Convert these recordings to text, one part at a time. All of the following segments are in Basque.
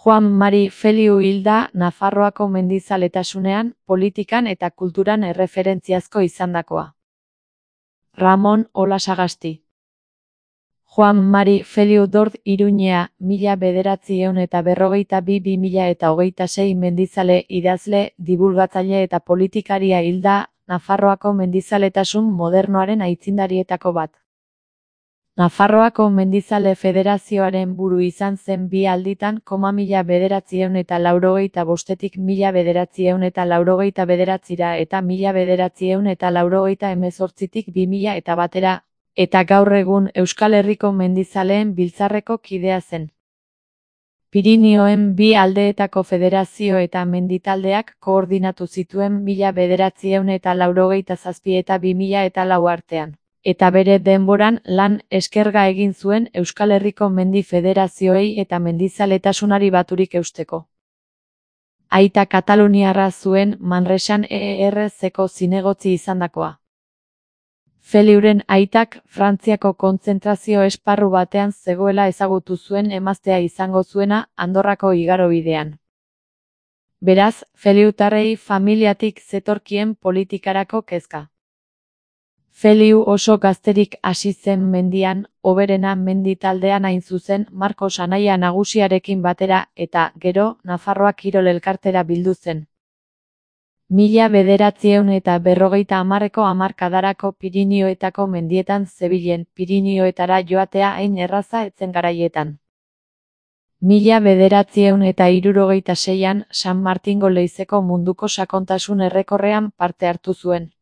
Juan Mari Feliu hilda Nafarroako mendizaletasunean, politikan eta kulturan erreferentziazko izandakoa. Ramon Olasagasti. Juan Mari Feliu Dord Iruñea, 1942–2026 mendizale, idazle, dibulgatzaile eta politikaria hilda, Nafarroako mendizaletasun modernoaren aitzindarietako bat. Nafarroako Mendizale Federazioaren buru izan zen bi alditan, 1985–1989 eta 1988–2000 eta gaur egun Euskal Herriko Mendizaleen Biltzarreko kidea zen. Pirinioen bi aldeetako federazio eta menditaldeak koordinatu zituen 1987 eta 2004 artean. Eta bere denboran lan eskerga egin zuen Euskal Herriko Mendi Federazioei eta mendizaletasunari baturik eusteko. Aita kataluniarra zuen, Manresan ERZ-ko zinegotzi izandakoa. Feliuren aitak Frantziako kontzentrazio esparru batean zegoela ezagutu zuen emaztea izango zuena Andorrako igarobidean. Beraz, feliutarrei familiatik zetorkien politikarako kezka. Feliu oso gazterik hasi zen mendian, Oberena menditaldean hain zuzen Markos anaia nagusiarekin batera, eta, gero, Nafarroa Kirol Elkartera bildu zen. 1950ko hamarkadarako Pirinioetako mendietan zebilen, Pirinioetara joatea hain erraza etzen garaietan. 1976an San Martingo Leizeko munduko sakontasun errekorrean parte hartu zuen.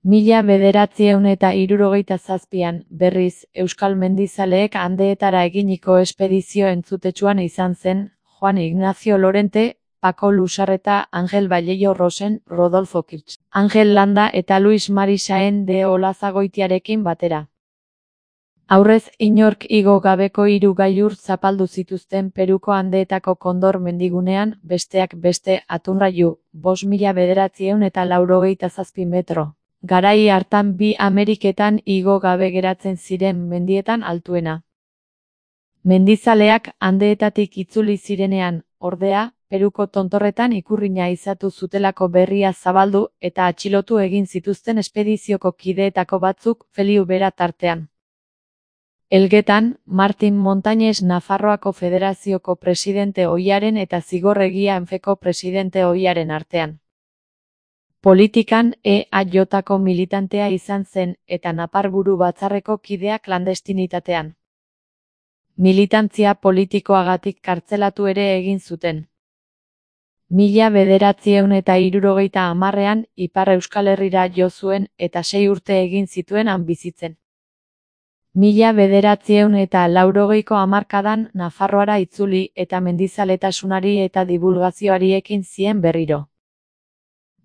1977an, berriz, Euskal Mendizaleek Andeetara eginiko espedizio entzutetsuan izan zen, Juan Ignacio Lorente, Paco Lusarreta, Angel Vallejo Rosen, Rodolfo Kirch, Angel Landa eta Luis Mari Saen de Olazagoitiarekin batera. Aurrez inork igo gabeko 3 gailur zapaldu zituzten Peruko Andeetako Kondor mendigunean, besteak beste, Atunraiu, 5.987 metro. Garai hartan bi Ameriketan igo gabe geratzen ziren mendietan altuena. Mendizaleak Andeetatik itzuli zirenean, ordea, Peruko tontorretan ikurrina izatu zutelako berria zabaldu eta atxilotu egin zituzten espedizioko kideetako batzuk, Feliu bera tartean. Elgetan, Martin Montañez Nafarroako Federazioko presidente ohiaren eta Zigorregia Enfeko presidente ohiaren artean. Politikan EAJ-ko militantea izan zen eta Naparburu Batzarreko kidea klandestinitatean. Militantzia politikoagatik kartzelatu ere egin zuten. 1970an Ipar Euskal Herrira jo zuen eta 6 urte egin zituen han bizitzen. 1980ko hamarkadan Nafarroara itzuli eta mendizaletasunari eta dibulgazioari ekin zien berriro.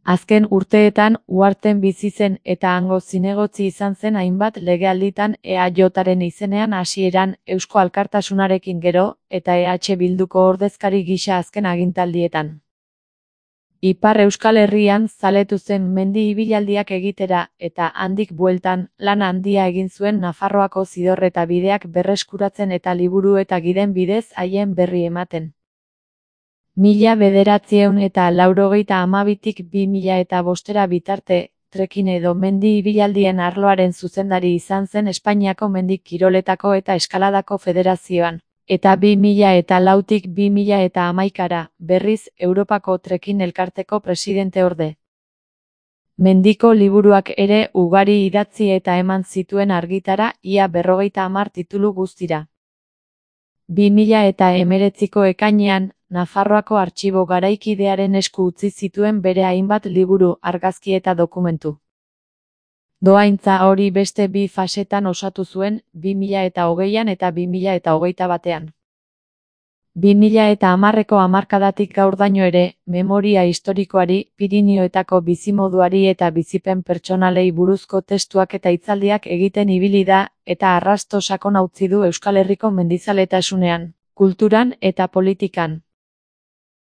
Azken urteetan Uharten bizi zen eta hango zinegotzi izan zen hainbat legealditan EAJ-aren izenean hasieran Eusko Alkartasunarekin gero eta EH Bilduko ordezkari gisa azken agintaldietan. Ipar Euskal Herrian zaletu zen mendi ibilaldiak egitera eta handik bueltan lan handia egin zuen Nafarroako zidorreta bideak berreskuratzen eta liburu eta giden bidez haien berri ematen. 1982tik 2005 bitarte, trekin edo mendi ibialdien arloaren zuzendari izan zen Espainiako mendi kiroletako eta eskaladako federazioan, eta 2004tik 2011 berriz Europako trekin elkarteko presidente orde. Mendiko liburuak ere ugari idatzi eta eman zituen argitara, ia 50 titulu guztira. 2019ko ekainean, Nafarroako Artxibo Garaikidearen esku utzi zituen bere hainbat liburu, argazki eta dokumentu. Dohaintza hori beste 2 fasetan osatu zuen, 2020an eta 2021an. 2010ko hamarkadatik gaurdaino ere, memoria historikoari, Pirinioetako bizimoduari eta bizipen pertsonalei buruzko testuak eta hitzaldiak egiten ibili da, eta arrasto sakona utzi du Euskal Herriko mendizaletasunean, kulturan eta politikan.